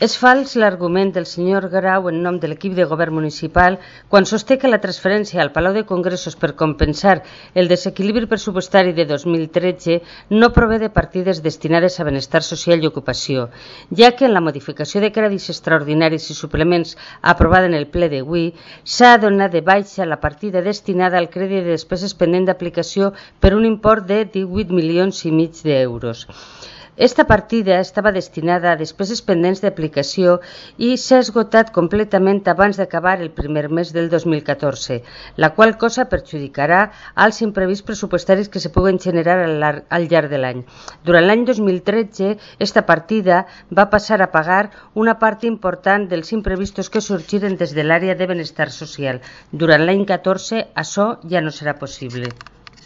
És fals l'argument del senyor Grau en nom de l'equip de govern municipal quan sosté que la transferència al Palau de Congressos per compensar el desequilibri pressupostari de 2013 no prové de partides destinades a benestar social i ocupació, ja que en la modificació de crèdits extraordinaris i suplements aprovada en el ple d'avui s'ha donat de baixa la partida destinada al crèdit de despeses pendent d'aplicació per un import de 18,5 milions d'euros. Esta partida estava destinada a despeses pendents d'aplicació i s'ha esgotat completament abans d'acabar el primer mes del 2014, la qual cosa perjudicarà als imprevists pressupostaris que se puguen generar al llarg de l'any. Durant l'any 2013, esta partida va passar a pagar una part important dels imprevistos que sorgiren des de l'àrea de benestar social. Durant l'any 14, això ja no serà possible.